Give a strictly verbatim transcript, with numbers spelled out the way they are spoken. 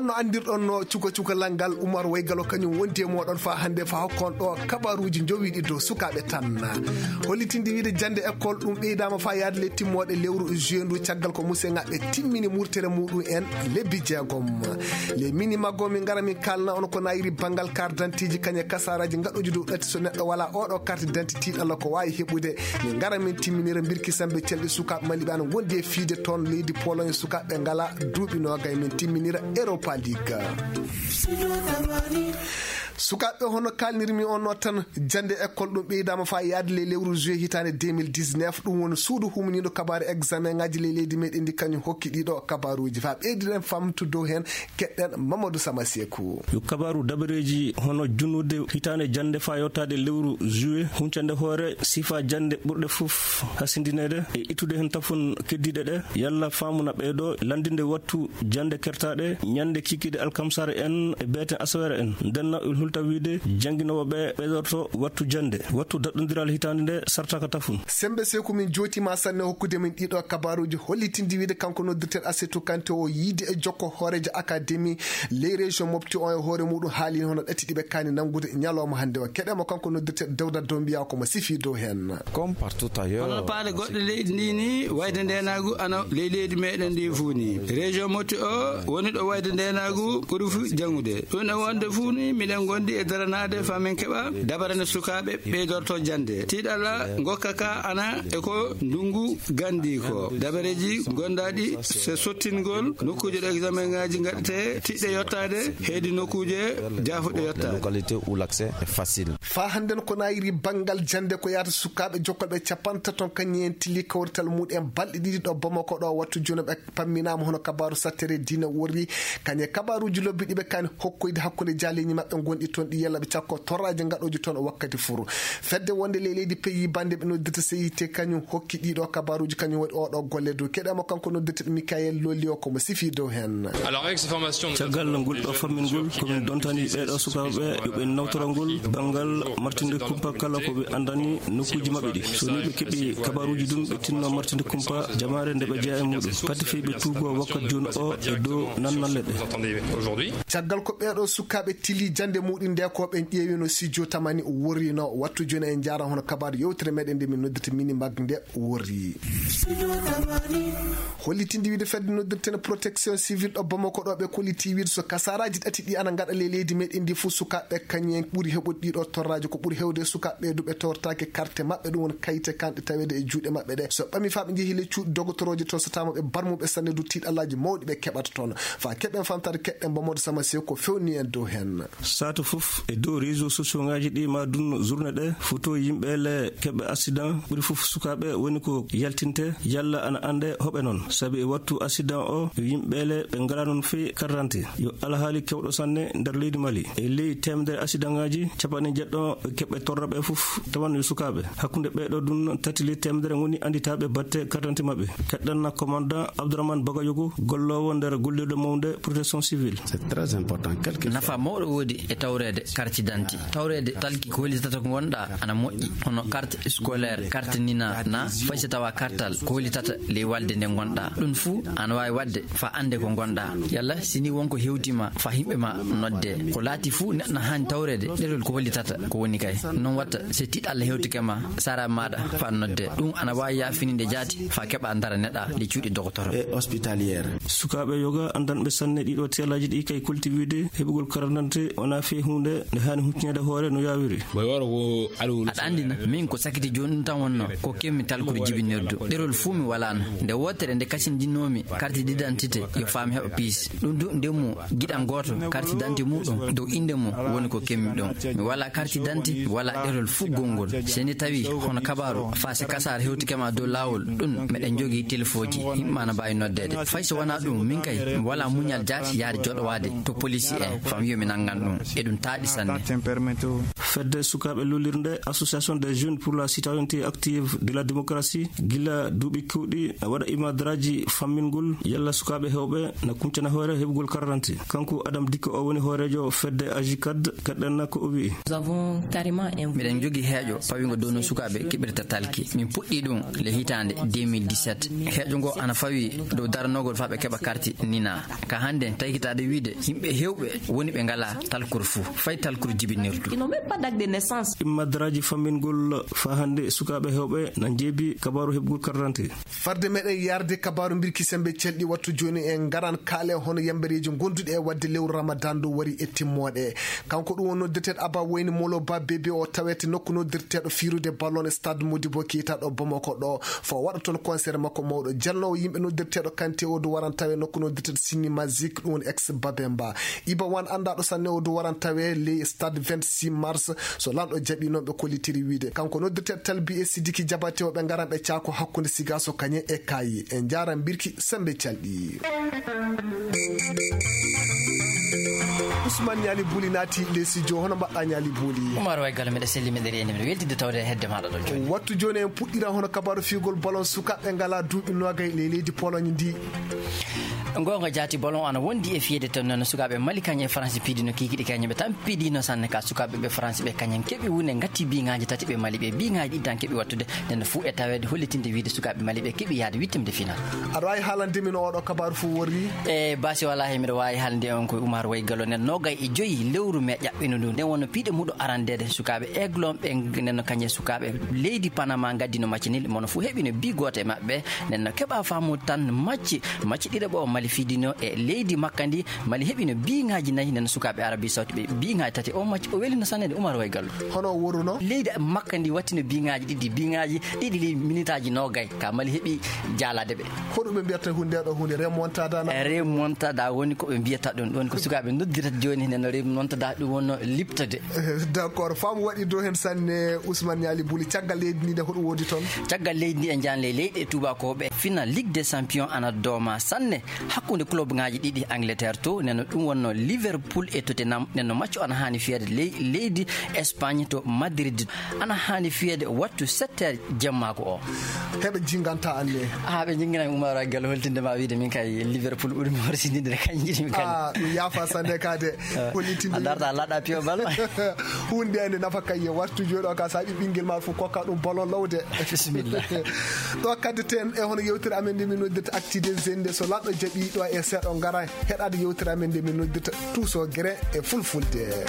No anndirɗon no cuka cukalal ngal, Umar Waygalo kañum wondi e mooɗon faa hannde faa hokkon ɗo kabaruuji njowiiɗi dow sukaaɓe tan. Hollitinde wiide jannde école ɗum ɓeydaama faa yaade le timmooɗe lewru juin ndu caggal ko museŋaaɓe timmini murtere muɗum en lebbi jeegom. Le mini maggo min ngara min kaalna on ko nayiri banngal carte d'identité ji kañe kasaaraaji ngaɗooji dow ɗatti so neɗɗo walaa oɗo carte d'identité tiiɗalla ko waawi heɓude. Min ngara min timminira mbirki sambe celɗi sukaaɓe maliɓe ana ngondi e fiide toon leydi Pologne sukaaɓe ngala duuɓi noogay min timminira Europa League. Sukaaɓe hono kaalnirmi on no tan jannde école ɗum ɓeydaama faa yaade le lewru juillet hitaande deux mille dix-neuf ɗum woni suudu humniiɗo kabaaru examen ngaji le leydi meɗen ndi kañum hokki ɗiɗo kabaruuji faa ɓeydiren famtu dow heen keɗɗen Mamadou Sama Seku. Yo kabaaru dabareeji hono junnude hitaande jannde faa yottaade lewru juillet huncande hoore sifa jannde ɓurɗe fof hasindineede e ittude heen tafon keddiiɗe ɗe yalla faamu na ɓeydo lanndinde wattu jannde kertaaɗe ñande kikiiɗe alkamsare en e beete asawere en. Ndenna il hulta wiide jannginooɓe ɓe ɓeydorto wattu jannde wattu daɗɗondiral hitaande nde sartaka tafun. Sembe Seku min jootiima sanne hokkude min ɗiɗo kabaruuji hollitindi wiide kanko noddirten Asetu Kante o yiide e jokko hooreejo akademi ley région Mopti on e hoore muɗum haali hono ɗatti ɗiɓe kaani nanngude ñalawma hannde o. Keɗemo kanko noddirten Dawda Dombiya ko mo sifi dow heen. Comme partout ailleurs, hono paale goɗɗe leydi ndi ni wayde ndenaagu ana ley leydi meɗen ndi fuu ni. Région Mopti o woni ɗo wayde ndenaagu ɓuri fu jangude. Ɗum e wonde fuu ni miɗen gondi e daranaade faa min keɓa dabare nde sukaaɓe ɓeydorto jannde. Tiiɗalla ngokka ka ana e ko ndungu gandi ko. Dabareeji gondaaɗi se sottingol nokkuuje ɗo examen ngaji ngaɗete tiɗɗe yottaade heedi nokkuuje jaafuɗe yottaade. Localité où l'accès est facile. Faa hannden ko nayiri banngal jannde ko yahata sukaaɓe jokkolɓe capantato kañum en tilli kawrital muɗum en balɗe ɗiɗi ɗo Bamako ɗo wattu jooni ɓe pamminaama hono kabaaru sattere diina worri kañe kabaaruuji lobbi ɗiɓe kaani hokkoyde hakkunde jaaleeji maɓɓe ngonɗi toon ɗi yalla ɓe cakko torraaji ngaɗooji toon wakkati furu. Fedde wonde ley leydi pays bande ɓe noddirta C I T kañum hokki ɗiɗo kabaaruuji kañum waɗi oɗo golle dow keɗemo kanko noddirteɗo Mickaël Lolio ko mo sifi dow heen. Caggal ngol ɗo fammingol komin dontani ɓeeɗo sukaaɓe yo ɓe nawtora ngol banngal martinde kumpa kala ko ɓe anndani nokkuuji maɓɓe ɗi so ni ɓe keɓi kabaaruuji ɗum ɓe tinno martinde kumpa jamaare nde ɓe jeya e muɗum pati fey ɓe tuugo wakkat jooni o e dow nannalle ɗe. Caggal ko ɓeeɗo sukaaɓe tili jannde muɗum nde ko ɓen ƴeewino sijjo tamani worrino wattu jooni en njaara hono kabaaru yewtere meɗen nde min noddirta mini mag nde worri. Hollitinde wiide fedde noddirten protection civile ɗo Bamako ɗo ɓe kolliti wiide so kasaraji ɗati ɗi ana ngaɗa ley leydi meɗen ndi fof sukaaɓe kañum en ɓuri heɓude ɗiɗo torraji ko ɓuri hewde sukaaɓe ɓe duɓe tortaki carte maɓɓe ɗum woni kayite kanɗe taweede e juuɗe maɓɓe ɗe so ɓami faa ɓe njehi ley cuuɗi dogotoroji to so tawama ɓe barmuɓe sanne du tiiɗallaji mawɗi ɓe keɓata toon faa keɓen famtare keɗɗen Mamadou Sama Sew ko fewni en dow heen. Saatu fof e dow réseau sociaux ngaji ɗi ma dun journée ɗe photo yimɓe le keɓɓe accident ɓuri fof sukaaɓe woni ko yaltinte yalla ana annde hoɓe noon sabi e wattu accident o yo yimɓe le ɓe ngala noon fii karrante yo alhaali kewɗo sanne nder leydi Mali e ley temedere accident ngaji capanɗe jeɗɗo keɓɓe torraɓe fof tawan yo sukaaɓe hakkunde ɓeeɗo dun tati ley temedere ngoni annditaaɓe batte karrante maɓɓe keɗɗanna commandant Abdourahmane Bagayogo golloowo nder gollirɗo mawnde protection civile. C'est très important. Nafa mawɗo woodi e tawreede carte d'identité. Tawreede talki ko holitata ko ngonɗa ana moƴƴi hono carte scolaire, carte nina na fay so tawa kartal ko holitata ley walde nde ngonɗa. Ɗum fuu ana waawi waɗde faa annde ko ngonɗa. Yalla si ni wonko hewtima faa yimɓe ma nodde. Ko laati fuu neɗɗo na haani tawreede ɗerol ko holitata ko woni kay. Noon watta so tiiɗalla hewtike ma sara maɗa faa nodde. Ɗum ana waawi yaafininde jaati faa keɓa daraneɗa ley cuuɗi dogotoro. Et hospitalière. Sukaaɓe yoga anndanɓe sanne ɗiɗo teelaaji ɗi kay kolti wiide heɓugol karandante wonaa fii huunde nde haani huccineede hoore no yaawiri. Aɗa anndina min ko sakiti jooni ɗum tan wonno ko kemmi talkude jibinirdu ɗerol fuu mi walaano nde wootere nde kasindinnoomi carte d'identité yo faam heɓa piis ɗum du ndemmo giɗan gooto carte d'identité muɗum dow innde mum woni ko kemmi ɗum mi wala carte d'identité mi wala ɗerol fuu gonngol so ni tawi hono kabaaru faa so kasaara hewtike ma dow laawol ɗum meɗen njogii telefooji yimɓe ma na mbaawi noddeede fay so wonaa ɗum min kay mi wala muñal jaati yahde joɗowaade to polisi en fam yo mi nanngan ɗum e Ɗum taaɗi sanne. Fedde sukaaɓe luulirnde, Association des Jeunes pour la Citoyenneté Active de la Démocratie, gila duuɓi keewɗi na waɗa imadraaji fammingol yalla sukaaɓe heewɓe na kuncana hoore heɓugol karranti. Kanko Adam Dikko, o woni hooreejo fedde Ajikad, gaɗɗanna ko o wi'i. Miɗen njogii heeƴo pawiingo dow no sukaaɓe keɓirta talki. Min puɗɗii ɗum le hitaande deux mille dix-sept. Heeƴo ngo ana fawi dow daranogol faa ɓe keɓa karti nina. Ka hannde, taykitaade wiide yimɓe heewɓe woni ɓe ngalaa talkuru fuu, fay talkuru jibinirdu. Imadraaji fammingol faa hannde sukaaɓe heewɓe na njeebi kabaaru heɓugol karranti. Farde meɗen yarde kabaaru mbirki sembe celɗi, wattu jooni en ngaran kaale hono yambereeji gonduɗi e waɗde lewru Ramadan ndu wari e timmoode. Kanko ɗum woni noddirteeɗo Aba Wayne Molo Ba Bebe, o tawete nokku noddirteeɗo fiirude ballon e stade Modibo Keita ɗo Bamako ɗo. Fo waɗa toon concert makko mawɗo. Jalnoowo yimɓe noddirteeɗo Kante o du waran tawe nokku noddirteeɗo Sini Magic, ɗum woni ex Babemba. Iba Wan anndaɗo sanne o du waran tawe ley stade vingt-six mars. So lanɗo jaɓi noon ɓe kollitiri wiide. Kanko noddirteeɗo Talbi e Sidiki Jabate o ɓe ngaran ɓe caako hakkunde Sigaso Kañe e Kaayi. En njaaran mbirki sembe calɗi. Ousmane Ñaali Buli naati ley studio. Hono mbaɗɗaa Ñaali Buli? Umar Way Galo, miɗa selli, miɗa reeni, miɗa weltinde tawde e hedde maaɗa ɗon jooni. Wattu jooni en puɗɗira hono kabaaru fiyugol ballon sukaaɓe ngalaa duuɓi noogay ley leydi Pologne ndi. Goonga jaati, ballon ana wondi e fiyede toon, noon sukaaɓe Mali kañe e France piidino kiikiɗe kañe ɓe tan piidino sanne ka sukaaɓe ɓe France ɓe kañen keɓi wune ngatti biŋaaji tati ɓe Mali ɓe biŋaaji ɗiɗi tan keɓi wattude. Nden fuu e taweede hollitinde wiide sukaaɓe Mali ɓe keɓi yaade wittemde final. Aɗa waawi haalande min oɗo kabaaru fuu worri? E basi wala he miɗo waawi haalande on ko Umar Way Galo nen noogay e joyi lewru me ƴaɓɓino ndu. Nden wonno piiɗe muɗo arandeede sukaaɓe Aiglon ɓe nen no kañe sukaaɓe leydi Panama ngaddino maccinil mono fuu heɓino bi gooto e maɓɓe. Nden no keɓa faamu tan macci, macci ɗiɗaɓo Mali fiidino e leydi makka ndi. Mali heɓino biŋaaji nayi, nden sukaaɓe Arabie Saoudite ɓe biŋaaji tati. O macci o welino sanne de Umar Way Galo. Hono o woruno? Leydi makka ndi wattino biŋaaji ɗiɗi, biŋaaji ɗiɗi ley minitaaji noogay. Ka Mali heɓi jaalaade ɓe. Hoɗum ɓe mbiyata huunde ɗo huunde remontada na? Remontada woni ko ɓe mbiyata ɗum. Ɗum ko sukaaɓe noddirata jooni, nden remontada ɗum wonno liɓtade. D'accord, faamu waɗi dow heen sanne. Ousmane Ñaali Buli, caggal leydi ndi nde hoɗum woodi toon? Caggal leydi ndi en njaan ley leyɗe tuubakooɓe. Final Ligue des Champions ana dooma sanne hakkunde club ŋaaji ɗiɗi Angleterre to, nden no ɗum wonno Liverpool e Tottenham, nden no macco ana haani fiyeede ley leydi Espagne to Madrid. Ana haani fiyeede wattu sept heures jemmaako o. Heɓe jinganta anne. Ah, ɓe jingina Umar Galo holtinde ma wiide min kay Liverpool ɓuri mi horsinde kañ jiɗi mi kañ. Ah, ɗum yaafa sanne ka de. Hollitinde a darta laɗa piyo bal. Hunde ande nafa kay e wattu jooɗo ka saɓi ɓingel ma fof kokka ɗum ballon lawde. Bisimilla. Ɗo kadde ten e hono yewtere amen nde min noddirta Actu des Jeunes, so laɗɗo jaɓi ɗo e seeɗa ngara heɗade yewtere amen nde min noddirta Tuso Gere e Fulfulde.